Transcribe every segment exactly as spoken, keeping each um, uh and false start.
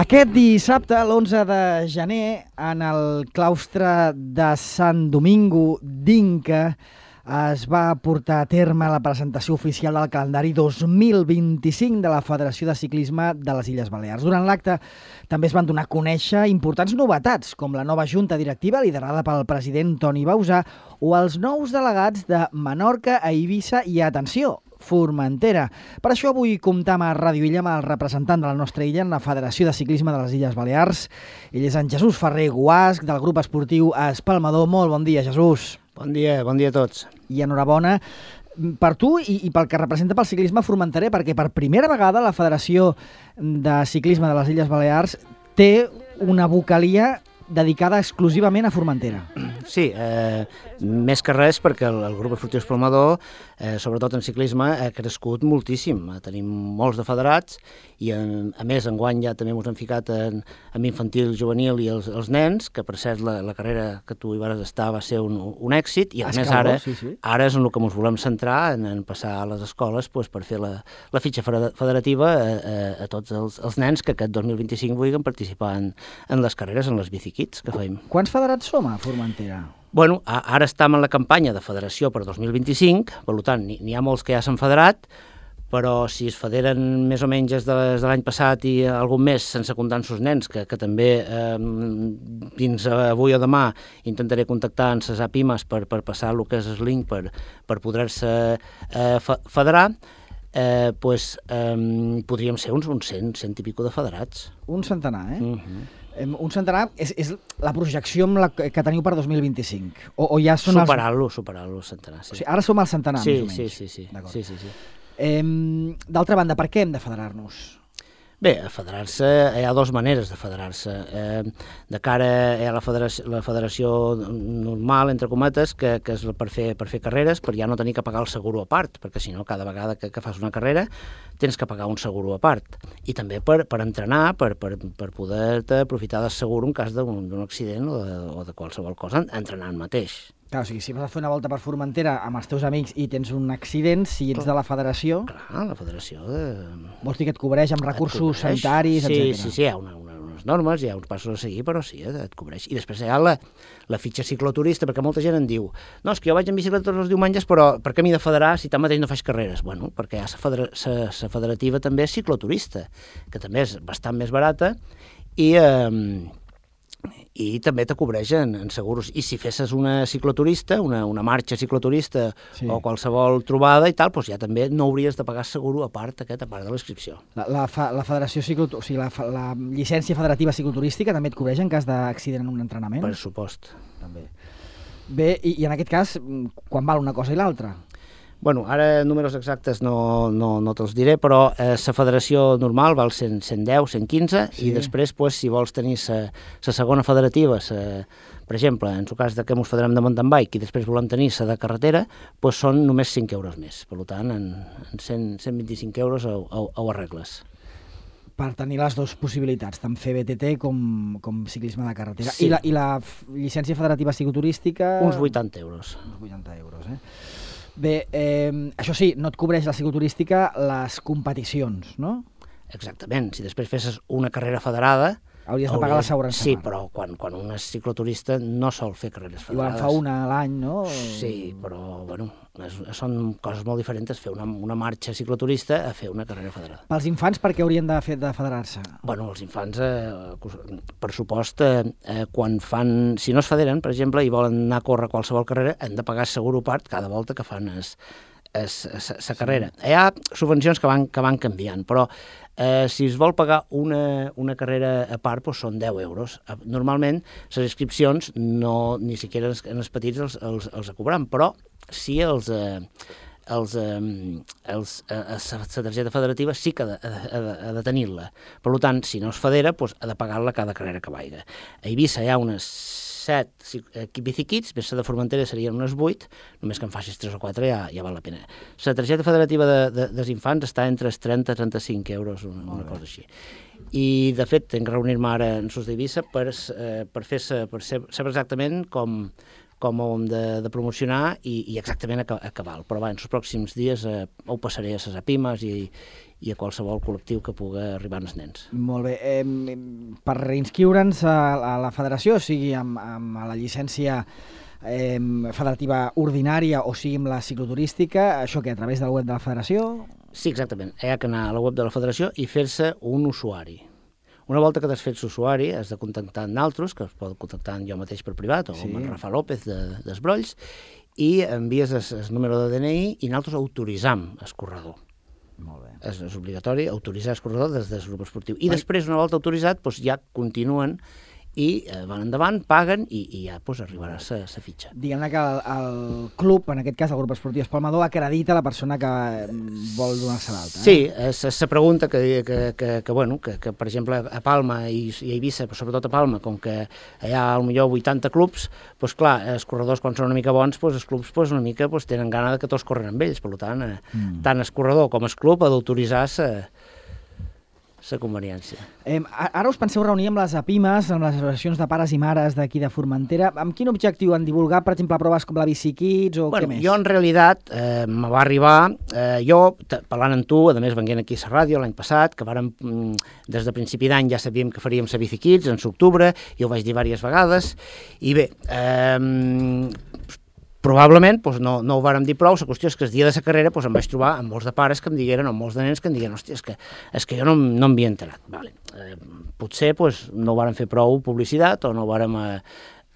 Aquest dissabte, l'onze de gener, en el claustre de Sant Domingo d'Inca, es va portar a terme la presentació oficial del calendari dos mil vint-i-cinc de la Federació de Ciclisme de les Illes Balears. Durant l'acte també es van donar a conèixer importants novetats, com la nova junta directiva liderada pel president Toni Bausà o els nous delegats de Menorca, a Eivissa i, atenció, Formentera. Per això vull comptar amb Ràdio Illa, amb el representant de la nostra illa en la Federació de Ciclisme de les Illes Balears. Ell és en Jesús Ferrer Guasc, del grup esportiu Espalmador. Molt bon dia, Jesús. Bon dia, bon dia a tots. I enhorabona per tu i, i pel que representa pel ciclisme formenterer, perquè per primera vegada la Federació de Ciclisme de les Illes Balears té una vocalia dedicada exclusivament a Formentera. Sí, eh, més que res perquè el, el grup esportiu Espalmador, eh, sobretot en ciclisme, ha crescut moltíssim. Tenim molts de federats i, en, a més, enguany ja també ens hem ficat en, en infantil, juvenil i els, els nens, que per cert la, la carrera que tu hi vas estar va ser un, un èxit, i a més ara, sí, sí. ara és en el que ens volem centrar, en, en passar a les escoles pues, per fer la, la fitxa federativa a, a, a tots els, els nens que aquest dos mil vint-i-cinc vulguin participar en, en les carreres, en les biciquits que fem. Quants federats som a Formentera? Bueno, ara estem en la campanya de federació per dos mil vint-i-cinc, per tant, n'hi ha molts que ja s'han federat, però si es federen més o menys des de, des de l'any passat i algun més sense comptar els seus nens, que, que també eh, fins avui o demà intentaré contactar amb les APIMAs per, per passar el que és el link per, per poder-se eh, federar, eh, pues, eh, podríem ser uns, uns cent, cent i pico de federats. Un centenar, eh? Uh-huh. Un centenar és, és la projecció amb la que teniu per dos mil vint-i-cinc? O, o ja són Superar-lo, els... superar-lo, el centenar, sí. O sigui, ara som al centenar, sí, més o menys. Sí, sí, sí. sí, sí, sí. Eh, D'altra banda, per què hem de federar-nos? Bé, a federar-se, hi ha dues maneres de federar-se. Eh, de cara a la federació, la federació normal, entre cometes, que, que és per fer, per fer carreres, per ja no tenir que pagar el seguro a part, perquè si no, cada vegada que, que fas una carrera tens que pagar un seguro a part. I també per, per entrenar, per, per, per poder-te aprofitar del seguro en cas d'un accident o de, o de qualsevol cosa, entrenant mateix. Clar, o sigui, si vas a fer una volta per Formentera amb els teus amics i tens un accident, si ets de la federació... Clar, la federació... De... Vols dir que et cobreix amb recursos cobreix, sanitaris, sí, etcètera. Sí, sí, hi ha una, una, unes normes, hi ha uns passos a seguir, però sí, et cobreix. I després hi ha la, la fitxa cicloturista, perquè molta gent en diu no, és que jo vaig en bicicleta tots els diumenges, però per què m'he de federar si tanmateix no faig carreres? Bueno, perquè hi ha la federa, federativa també cicloturista, que també és bastant més barata i... Eh, i també te cobreixen en seguros. I si fessis una cicloturista, una, una marxa cicloturista sí. o qualsevol trobada i tal, doncs ja també no hauries de pagar seguro a part aquest, a part de l'inscripció. La, la, la federació ciclot... o sigui, la, la llicència federativa cicloturística també et cobreix en cas d'accident en un entrenament? Per supost. També. Bé, i, i en aquest cas, quan val una cosa i l'altra? Bueno, ara números exactes no, no, no te'ls diré, però eh, la federació normal val cent, cent deu, cent quinze, sí. I després, pues, si vols tenir la segona federativa, sa, per exemple, en el cas de que ens federem de mountain bike i després volem tenir la de carretera, pues, són només cinc euros més. Per tant, en, en cent, cent vint-i-cinc euros ho, ho, ho arregles. Per tenir les dues possibilitats, tant fer B T T com, com ciclisme de carretera. Sí. I, la, I la llicència federativa cicloturística... Uns vuitanta euros. Uns vuitanta euros, eh? Bé, eh, això sí, no et cobreix la cicloturística les competicions, no? Exactament. Si després fessis una carrera federada... Hauries de pagar l'assegurança. Sí, però quan, quan un és cicloturista no sol fer carreres federades. Igual fa una a l'any, no? Sí, però, bueno, és, són coses molt diferents fer una, una marxa cicloturista a fer una carrera federada. Pels infants, per què haurien de, fer, de federar-se? Bueno, els infants, eh, per supost, eh, quan fan... Si no es federen, per exemple, i volen anar a córrer qualsevol carrera, han de pagar seguro part cada volta que fan es, es, es, es, la carrera. Sí. Hi ha subvencions que van, que van canviant, però Eh, si es vol pagar una, una carrera a part, doncs són deu euros. Normalment, les inscripcions no, ni siquiera els, els petits els, els, els cobran, però sí els... Eh, els, eh, els, eh, la targeta federativa sí que ha de, ha de, ha de tenir-la. Per tant, si no es federa, doncs ha de pagar-la cada carrera que vaiga. A Eivissa hi ha unes set bicikits, més de Formentera serien unes vuit, només que en facis tres o quatre ja, ja val la pena. La targeta federativa de, de, dels infants està entre els trenta i trenta-cinc euros, una, una cosa així. I, de fet, tinc que reunir-me ara en Sos d'Eivissa per, eh, per, fer, per saber exactament com, com ho hem de, de promocionar i, i exactament a, a cabal. Però va, en els pròxims dies eh, ho passaré a les APIMES i, i a qualsevol col·lectiu que pugui arribar als nens. Molt bé. Eh, per reinscriure'ns a, a la federació, o sigui, amb, amb la llicència eh, federativa ordinària o sigui amb la cicloturística, això que a través del web de la federació? Sí, exactament. Hi ha que anar a la web de la federació i fer-se un usuari. Una volta que t'has fet usuari, has de contactar amb naltros, que es pot contactar amb jo mateix per privat, o sí. amb en Rafa López de, d'Esbrolls, i envies el, el número de D N I i naltros autoritzam el corredor. Molt bé. És, és obligatori autoritzar el corredor des del grup esportiu. I Ai. després, una volta autoritzat, doncs ja continuen i eh, van endavant, paguen i, i ja pues, arribarà la fitxa. Diguem-ne que el, el club, en aquest cas el grup esportiu Espalmador, acredita la persona que vol donar-se l'alta. Eh? Sí, és la pregunta que, que, que, que, bueno, que, que, per exemple, a Palma i, i a Eivissa, però sobretot a Palma, com que hi ha potser vuitanta clubs, doncs clar, els corredors quan són una mica bons, doncs els clubs doncs, una mica doncs, tenen gana de que tots corren amb ells, per tant, eh, mm. tant el corredor com el club ha d'autoritzar la conveniència. Eh, ara us penseu reunir amb les APIMES, amb les associacions de pares i mares d'aquí de Formentera. Amb quin objectiu? En divulgar, per exemple, proves com la Bicikids o bueno, què més? Jo, en realitat, eh, me va arribar... Eh, jo, parlant amb tu, a més, venint aquí a la ràdio l'any passat, que vàrem, des de principi d'any ja sabíem que faríem la Bicikids en l'octubre, i ho vaig dir diverses vegades, i bé... Eh, probablement doncs no, no ho vàrem dir prou, la qüestió és que el dia de la carrera doncs em vaig trobar amb molts de pares que em digueren, o molts de nens que em digueren, hòstia, és que, és que jo no, no m'havia enterat. Vale. Eh, potser doncs, no ho vàrem fer prou publicitat o no ho vàrem eh,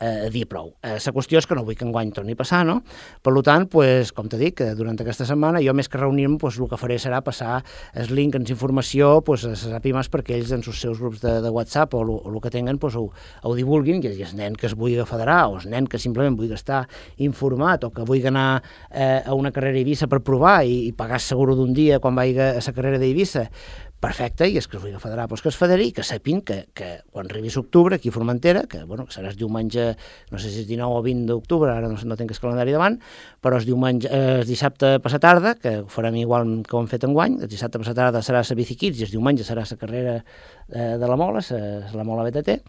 eh, dir prou. Eh, la qüestió és que no vull que enguany torni a passar, no? Per tant, doncs, com t'he dit, durant aquesta setmana jo més que reunir-me, doncs, el que faré serà passar el link en informació doncs, a les APIMES perquè ells en els seus grups de, de WhatsApp o el que tinguin doncs, ho, ho divulguin, i el nen que es vulgui federar o el nen que simplement vulgui estar informat o que vulgui anar eh, a una carrera a Eivissa per provar i, i pagar seguro d'un dia quan vagi a la carrera d'Eivissa, perfecte, i és que es vulgui federar, doncs que es federi i que sapin que, que quan arribi l'octubre aquí a Formentera, que bueno, serà el diumenge, no sé si és dinou o vint d'octubre, ara no, no tinc el calendari davant, però el diumenge, eh, el dissabte passat tarda, que ho farem igual que ho hem fet enguany, el dissabte passat tarda serà la Bicikids i el diumenge serà la carrera eh, de la Mola, la, la Mola B T T,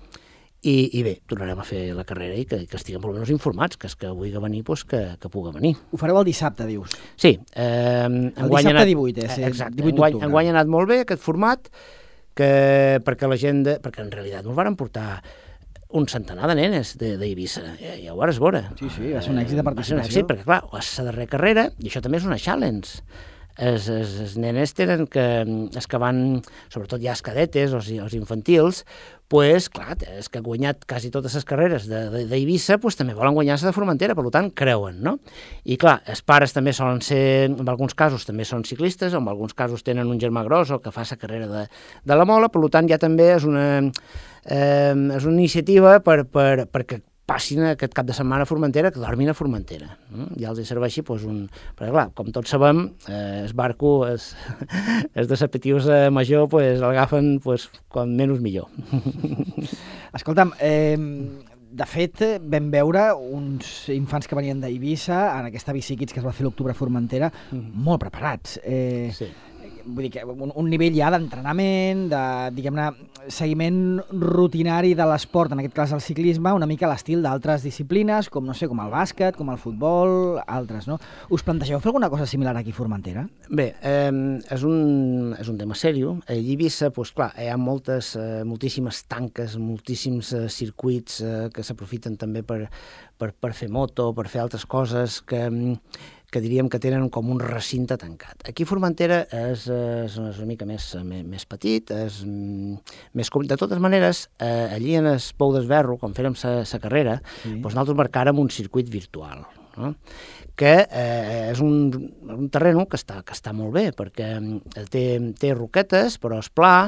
I, i bé, tornarem a fer la carrera i que, que estiguem almenys informats, que és que vulgui venir, doncs que, que pugui venir. Ho fareu el dissabte, dius? Sí. Eh, el dissabte anat, divuit, eh? Exacte. Enguany, enguany ha anat molt bé aquest format, que, perquè la gent, de, perquè en realitat ens varen portar un centenar de nenes d'Eivissa, ja, ja ho vas veure. Sí, sí, va ser un èxit de participació. Va ser un èxit, perquè clar, és la darrera carrera, i això també és una challenge. Els, els, els nenes tenen que, els que van, sobretot ja els cadetes o els infantils, pues, clar, els que han guanyat quasi totes les carreres d'Eivissa, pues, també volen guanyar-se de Formentera, per tant, creuen, no? I clar, els pares també solen ser, en alguns casos també són ciclistes, en alguns casos tenen un germà gros o que fa la carrera de, de la Mola, per tant, ja també és una, eh, és una iniciativa per, per, perquè passin aquest cap de setmana a Formentera, que dormin a Formentera. No? Ja els serveixi, doncs, un... Perquè, clar, com tots sabem, eh, el barco, és, és de sapetius eh, major, pues, l'agafen pues, com menys millor. Escolta'm, eh, de fet, vam veure uns infants que venien d'Eivissa, en aquesta Bicikids que es va fer l'octubre a Formentera, mm. molt preparats. Eh, sí. Vull dir que un, un nivell ja d'entrenament, de, diguem-ne, seguiment rutinari de l'esport, en aquest cas el ciclisme, una mica a l'estil d'altres disciplines, com, no sé, com el bàsquet, com el futbol, altres, no? Us plantegeu fer alguna cosa similar aquí a Formentera? Bé, eh, és, un, és un tema seriós. A Eivissa, doncs, clar, hi ha moltes, eh, moltíssimes tanques, moltíssims eh, circuits eh, que s'aprofiten també per, per, per fer moto, per fer altres coses que... que diríem que tenen com un recinte tancat. Aquí Formentera és, és una mica més, més petit, és més... De totes maneres, eh, allí en el Pou d'Esberro, quan fèrem la carrera, sí. doncs nosaltres marcàrem un circuit virtual, no? que eh, és un, un terreno que està, que està molt bé, perquè té, té roquetes, però és pla,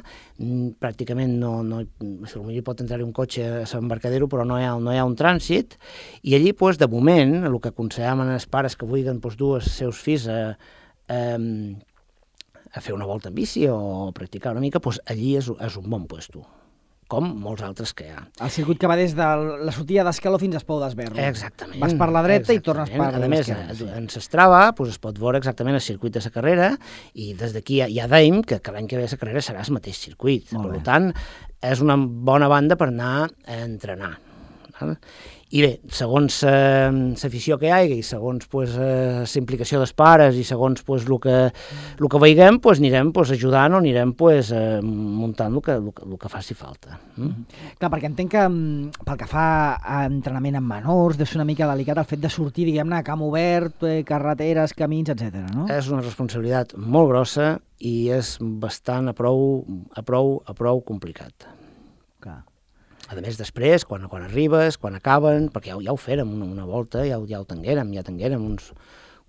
pràcticament no, no potser pot entrar-hi un cotxe a l'embarcadero, però no hi, ha, no hi ha un trànsit, i allí, doncs, de moment, el que aconsellaven els pares que vulguin doncs, dur els seus fills a, a, a fer una volta en bici o practicar una mica, doncs allí és, és un bon puesto, com molts altres que hi ha. El circuit que va des de la sortida d'Escaló fins al Pou d'Esberro. Exactament. Vas per la dreta exactament. I tornes per l'esquerra. A més, sí. en Strava doncs, es pot veure exactament el circuit de la carrera i des d'aquí ja, ja deim que, que l'any que ve la carrera serà el mateix circuit. Molt per bé. Tant, és una bona banda per anar a entrenar. I bé, segons l'afició que hi hagi i segons pues, la implicació dels pares i segons pues, el que, el que veiguem, pues, anirem pues, ajudant o anirem pues, eh, muntant el que, el, que, el que faci falta. Mm? Clar, perquè entenc que pel que fa a entrenament amb menors, deu ser una mica delicat el fet de sortir, diguem-ne, a camp obert, eh, carreteres, camins, etcètera, no? És una responsabilitat molt grossa i és bastant a prou, a prou, a prou complicat. Clar. A més, després, quan, quan arribes, quan acaben, perquè ja, ja ho fèrem una, una volta, ja, ja ho tenguérem, ja tenguérem uns,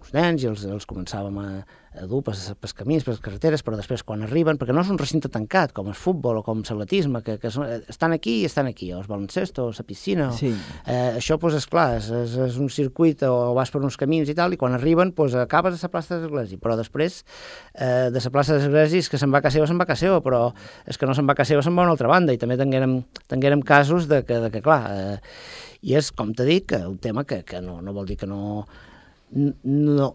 uns nens i els, els començàvem a, a dur pels, pels camins, per les carreteres, però després quan arriben, perquè no és un recinte tancat, com el futbol o com l'atletisme, que, que són, estan aquí i estan aquí, o el baloncesto, o la piscina, o, sí. eh, això, doncs, és clar, és, és, és un circuit o vas per uns camins i tal, i quan arriben, doncs, acabes a la plaça de l'Església, però després eh, de la plaça de l'Església és que se'n va a casa seva, se'n va a casa seva, però és que no se'n va a casa seva, se'n va a una altra banda, i també tinguérem, tinguérem casos de que, de que clar, eh, i és, com t'he dit, que un tema que, que no, no vol dir que no, no,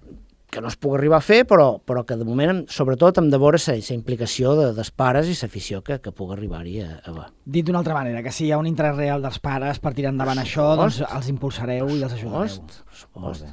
que no es pugui arribar a fer, però, però que de moment, sobretot, hem de veure la implicació de, dels pares i l'afició que, que pugui arribar-hi a, a veure. Dit d'una altra manera, que si hi ha un interès real dels pares per tirar endavant per això, doncs els impulsareu i els ajudareu. Per supost.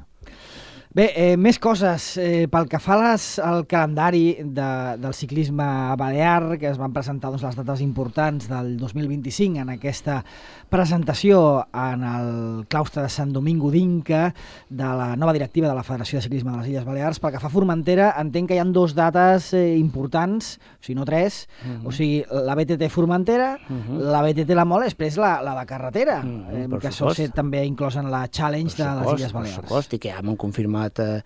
Bé, eh, més coses. Eh, pel que fa les, al calendari de, del ciclisme balear, que es van presentar doncs, les dates importants del dos mil vint-i-cinc en aquesta presentació en el claustre de Sant Domingo d'Inca de la nova directiva de la Federació de Ciclisme de les Illes Balears. Pel que fa a Formentera, entenc que hi ha dues dates eh, importants, o sigui, no tres, uh-huh. o sigui, la B T T Formentera, uh-huh. la B T T La Mola, després la, la de carretera, uh-huh, eh, que sol ser també inclòs en la Challenge de les Illes Balears. Per supost, i que ja m'han confirmat Eh,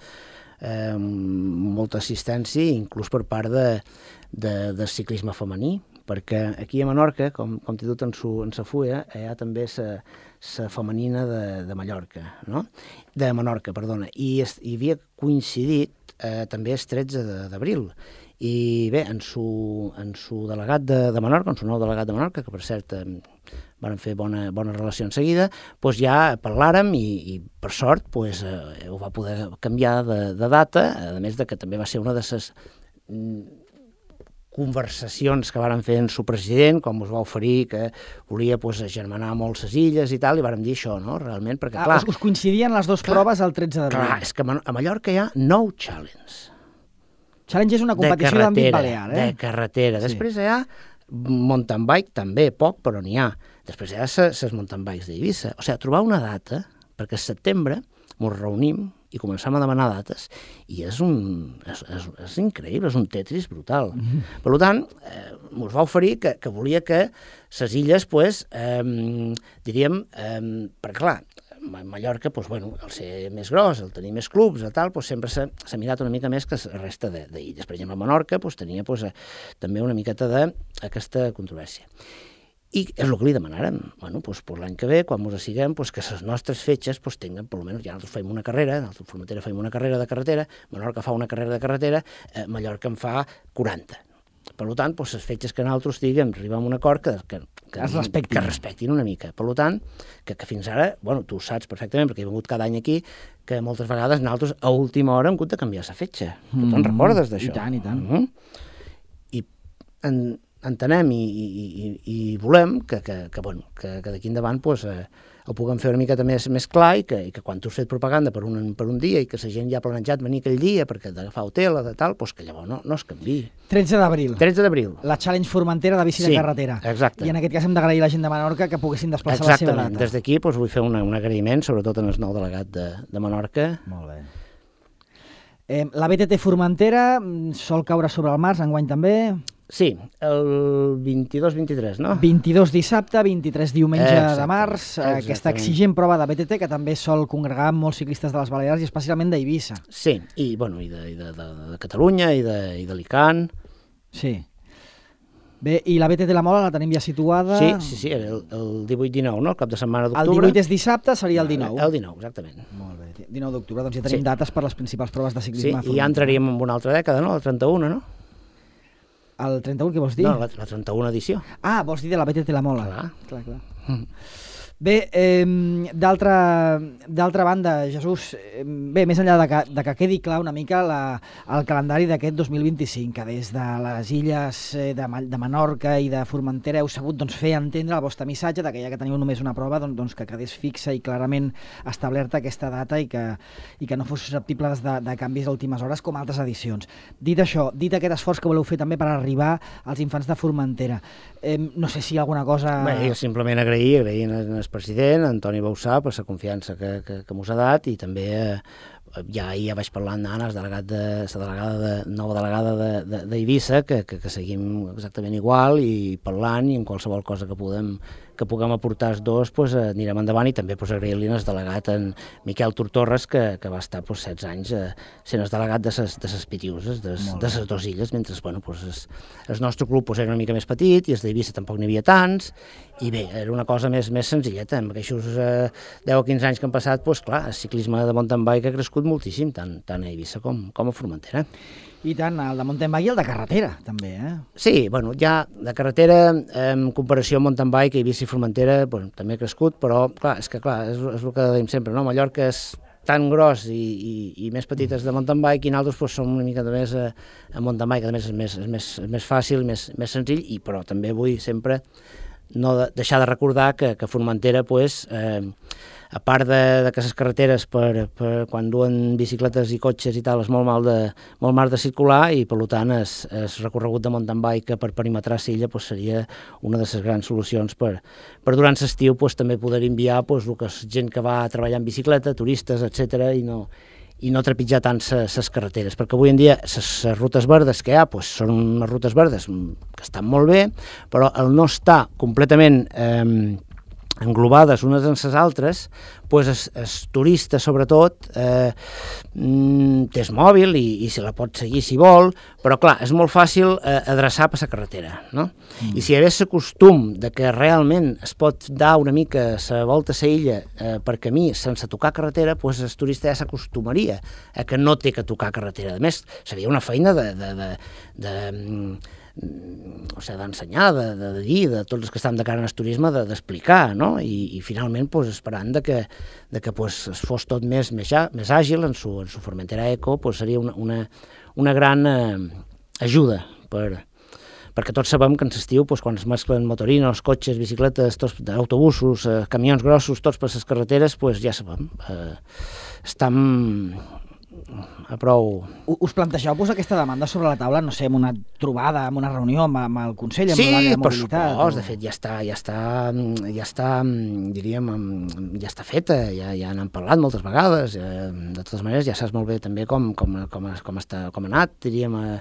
eh, molta assistència, inclús per part de, de, del ciclisme femení, perquè aquí a Menorca, com, com t'he dit en, su, en sa fulla, hi ha també la femenina de, de Mallorca, no? De Menorca, perdona, i es, hi havia coincidit eh, també el tretze d'abril, i bé, en su, en su delegat de, de Menorca, en su nou delegat de Menorca, que per cert eh, van fer bona, bona relació en seguida, doncs ja parlàrem i, i per sort doncs, eh, ho va poder canviar de, de data, a més de que també va ser una de les mm, conversacions que varen fer en su president, com us va oferir que volia pues, agermanar molt les illes i tal, i vàrem dir això, no?, realment, perquè ah, clar... Us, us coincidien les dues clar, proves el tretze d'abril. Clar, és que a Mallorca hi ha nou challenge. Challenge és una competició d'àmbit balear, eh? De carretera. Sí. Després hi ha mountain bike, també, poc, però n'hi ha. Després hi ha les mountain bikes d'Eivissa. O sigui, trobar una data, perquè al setembre ens reunim i començam a demanar dates, i és un... és, és, és increïble, és un Tetris brutal. Mm-hmm. Per tant, eh, ens va oferir que, que volia que les illes, pues, eh, diríem, eh, perquè clar, Mallorca, pues, bueno, el ser més gros, el tenir més clubs, el tal, pues, sempre s'ha mirat una mica més que la resta d'illes. Per exemple, Menorca pues, tenia pues, eh, també una miqueta d'aquesta controvèrsia. I és el que li demanàrem. Bueno, doncs, per l'any que ve, quan ens assiguem, doncs, que les nostres fetges doncs, tinguin, per almenys, ja nosaltres fem una carrera, nosaltres a Formentera fem una carrera de carretera, Menorca fa una carrera de carretera, eh, Mallorca en fa quaranta. Per tant, doncs, les fetges que nosaltres diguem, arribem a un acord que, que, que, es respectin. que respectin una mica. Per tant, que, que fins ara, bueno, tu ho saps perfectament, perquè he vingut cada any aquí, que moltes vegades nosaltres a última hora hem hagut de canviar la fetge. Mm, tu te'n recordes d'això? I tant, i tant. Mm -hmm. I en, entenem i, i, i, i volem que, que, que, bueno, que, que d'aquí endavant pues, eh, ho puguem fer una miqueta més, més clar i que, i que quan tu has fet propaganda per un, per un dia i que la gent ja ha planejat venir aquell dia perquè d'agafar hotel o de tal, pues, que llavors no, no es canviï. tretze d'abril. tretze d'abril. La Challenge Formentera de bici sí, de carretera. Exacte. I en aquest cas hem d'agrair a la gent de Menorca que poguessin desplaçar la seva data. Exactament. Des d'aquí pues, vull fer una, un agraïment, sobretot en el nou delegat de, de Menorca. Molt bé. Eh, la B T T Formentera sol caure sobre el març, enguany també? Sí, el vint-i-dos vint-i-tres, no? vint-i-dos dissabte, vint-i-tres diumenge exacte, de març, exactament. Aquesta exigent prova de B T T que també sol congregar molts ciclistes de les Balears i especialment d'Eivissa. Sí, i, bueno, i, de, i de, de, de Catalunya i d'Alicant. Sí. Bé, i la B T T La Mola la tenim ja situada... Sí, sí, sí, era el, el divuit dinou, no? El cap de setmana d'octubre. El divuit és dissabte, seria el dinou. El dinou, exactament. Molt bé, dinou d'octubre, doncs ja tenim sí. dates per les principals proves de ciclisme. Sí, i ja entraríem en una altra dècada, no? La trenta-una, no? El trenta-un, què vols dir? No, la, la trenta-una edició. Ah, vols dir de la B T T La Mola. Clar. clar, clar. Mm. Bé, eh, d'altra banda, Jesús, eh, bé, més enllà de que, de que quedi clar una mica la, el calendari d'aquest dos mil vint-i-cinc, que des de les illes eh, de, de Menorca i de Formentera heu sabut doncs, fer entendre el vostre missatge de que ja que teniu només una prova, doncs, doncs que quedés fixa i clarament establerta aquesta data i que, i que no fos susceptible de, de canvis a últimes hores com altres edicions. Dit això, dit aquest esforç que voleu fer també per arribar als infants de Formentera, eh, no sé si alguna cosa... Bé, jo simplement agrair, agrair al president, Antoni Bausà, per la confiança que, que, que mos ha dat, i també eh, ja ahir ja vaig parlar amb Anna, delegat de, la delegada de, nova delegada d'Eivissa, de, de, que, que, que seguim exactament igual i parlant, i en qualsevol cosa que puguem, que puguem aportar els dos, pues, eh, anirem endavant, i també pues, agrair-li al delegat en Miquel Tortorres, que, que va estar pues, setze anys eh, sent el delegat de ses, de ses Pitiuses, de, de ses dues illes, mentre bueno, pues, es, el nostre club pues, era una mica més petit i els d'Eivissa tampoc n'hi havia tants, i bé, era una cosa més, més senzilleta. Amb aquests eh, deu o quinze anys que han passat, pues, clar, el ciclisme de mountain bike ha crescut moltíssim, tant, tant a Eivissa com, com a Formentera. I tant, el de mountain bike i el de carretera, també, eh? Sí, bueno, ja de carretera, en comparació amb mountain bike, Eivissa i Formentera, bueno, també ha crescut, però, clar, és que, clar, és, és el que dèiem sempre, no? Mallorca és tan gros i, i, i més petites de mountain bike, i nosaltres pues, som una mica de més a, a mountain bike, a més és més, és més, és més fàcil, més, més senzill, i però també vull sempre no de, deixar de recordar que, que Formentera, pues, eh, a part de, de que les carreteres per, per quan duen bicicletes i cotxes i tal és molt mal de, molt mal de circular, i per tant el recorregut de mountain bike per perimetrar l'illa pues, seria una de les grans solucions per, per durant l'estiu pues, també poder enviar pues, el que és gent que va a treballar en bicicleta, turistes, etcètera, i no i no trepitjar tant les carreteres, perquè avui en dia les rutes verdes que hi ha pues, són unes rutes verdes que estan molt bé, però el no estar completament eh, englobades unes en les altres, pues el, el turista sobretot eh, té el mòbil i, i se la pot seguir si vol, però clar, és molt fàcil eh, adreçar per la carretera, no? Mm. I si hi hagués el costum de que realment es pot dar una mica la volta a la illa eh, per camí sense tocar carretera, pues el turista ja s'acostumaria a que no té que tocar carretera. A més, seria una feina de... de, de, de, de o sigui, d'ensenyar, de, de, de dir, de tots els que estan de cara al turisme, d'explicar, no? I, i finalment, pues, esperant de que, de que pues, es fos tot més, més, més àgil en su, en su Formentera Eco, pues, seria una, una, una gran eh, ajuda per, perquè tots sabem que en l'estiu, pues, quan es mesclen motorinos, cotxes, bicicletes, tots, autobusos, eh, camions grossos, tots per les carreteres, pues, ja sabem, eh, estan a prou... Us plantegeu posar aquesta demanda sobre la taula, no sé, en una trobada, en una reunió amb, amb el Consell, amb sí, l'àrea de per mobilitat? Supòs, o... de fet, ja està, ja està, ja està, diríem, ja està feta, ja, ja n'han parlat moltes vegades, eh, de totes maneres ja saps molt bé també com, com, com, com, està, com ha anat, diríem, eh,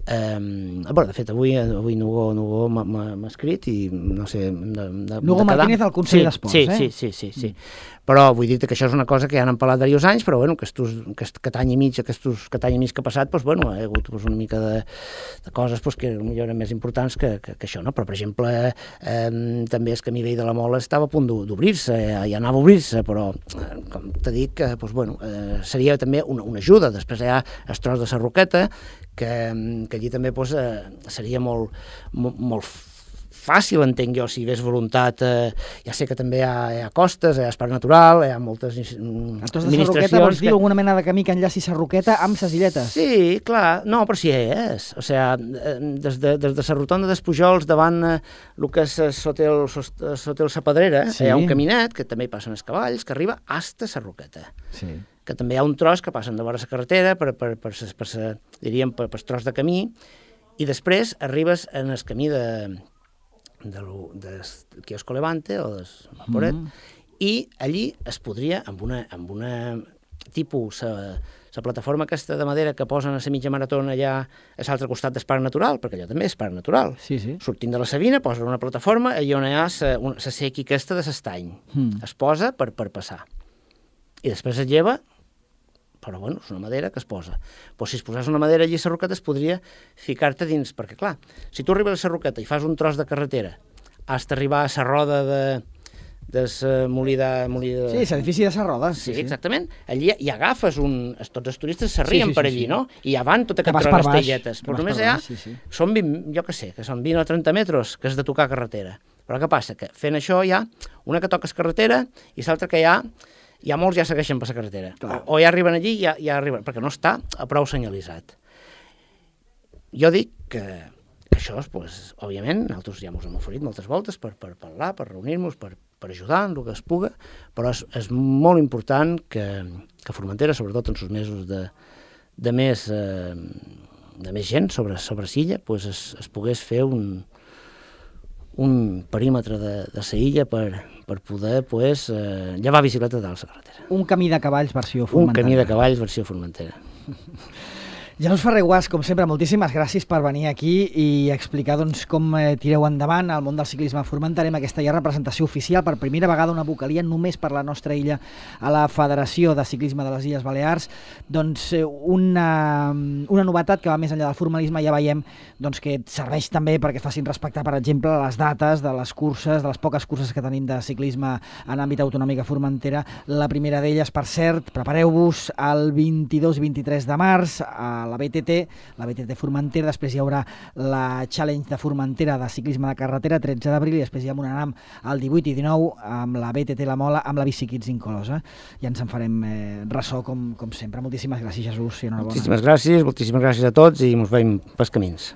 eh, bueno, de fet, avui, avui Nugo, Nugo m'ha escrit i, no sé... De, de, Nugo de Martínez al Consell sí, d'Esports, sí, eh? Sí, sí, sí, sí. Però vull dir que això és una cosa que ja n'han parlat diversos anys, però bueno, aquest, aquest any i mig, aquest, aquest any i mig que ha passat, doncs, bueno, hi ha hagut doncs, una mica de, de coses doncs, que potser eren més importants que, que, que això, no? Però, per exemple, eh, també el camí vell de la Mola estava a punt d'obrir-se, ja, ja anava a obrir-se, però, eh, com t'he dit, que, doncs, bueno, eh, seria també una, una ajuda. Després hi ha el tros de la Roqueta, que, que allí també doncs, eh, seria molt, molt, molt fàcil, entenc jo, si hi hagués voluntat. Eh, ja sé que també hi ha, hi ha costes, hi ha Parc Natural, hi ha moltes administracions... La Roqueta vols dir que... alguna mena de camí que enllaci la Roqueta amb les illetes? Sí, clar, no, però sí és. O sigui, des de, des de la rotonda dels Pujols davant eh, el que és l'hotel La Pedrera, sí. Hi ha un caminet, que també hi passen els cavalls, que arriba hasta la Roqueta. Sí. Que també hi ha un tros que passen de vora la carretera, per, per, per, per, per, diríem, per, per tros de camí, i després arribes en el camí de... del de quiosco Levante o del Vaporet, mm -hmm. i allí es podria, amb una, amb una tipus, la plataforma aquesta de madera que posen a la mitja maratona allà a l'altre costat del Parc Natural, perquè allò també és Parc Natural, sí, sí. Sortint de la Sabina, posen una plataforma i on hi ha la sequi aquesta de l'estany, mm. es posa per, per passar, i després es lleva, però bueno, és una madera que es posa. Però si es posés una madera allí a la Roqueta es podria ficar-te dins, perquè clar, si tu arribes a la Roqueta i fas un tros de carretera, has d'arribar a la roda de, de la molí de... Molí de... Sí, l'edifici de la roda. Sí, sí, exactament. Allí hi agafes un... Tots els turistes s'arrien sí, sí, per allí, sí, sí. No? I ja van tot aquest tros d'estelletes. Però només hi ha... Sí, sí. Són vint, jo què sé, que són vint o trenta metres que has de tocar carretera. Però què passa? Que fent això hi ha una que toques carretera i l'altra que hi ha, hi ha molts ja segueixen per la carretera. O, o ja arriben allí i ja, ja arriben, perquè no està a prou senyalitzat. Jo dic que, que això, pues, òbviament, nosaltres ja ens hem oferit moltes voltes per, per parlar, per reunir-nos, per, per ajudar en el que es puga, però és, és molt important que, que Formentera, sobretot en els mesos de, de, més, eh, de més gent sobre, sobre l'illa, pues es, es pogués fer un, un perímetre de, de la illa per, per poder pues, eh, llevar bicicleta dalt la carretera. Un camí de cavalls versió Formentera. Un camí de cavalls versió Formentera. Janus Ferrer-Guàs, com sempre, moltíssimes gràcies per venir aquí i explicar doncs, com eh, tireu endavant el món del ciclisme formenterem aquesta ja representació oficial per primera vegada una vocalia només per la nostra illa a la Federació de Ciclisme de les Illes Balears. Doncs eh, una, una novetat que va més enllà del formalisme, ja veiem doncs, que serveix també perquè facin respectar, per exemple, les dates de les curses, de les poques curses que tenim de ciclisme en àmbit autonòmic a Formentera. La primera d'elles, per cert, prepareu-vos el vint-i-dos i vint-i-tres de març a la B T T, la B T T Formentera, després hi haurà la Challenge de Formentera de ciclisme de carretera, tretze d'abril, i després hi ha una NAM el divuit i dinou amb la B T T La Mola, amb la Bici Kids inclosa. Ja ens en farem eh, ressò com, com sempre. Moltíssimes gràcies, Jesús, i enhorabona. Moltíssimes gràcies, moltíssimes gràcies a tots i ens veiem pels camins.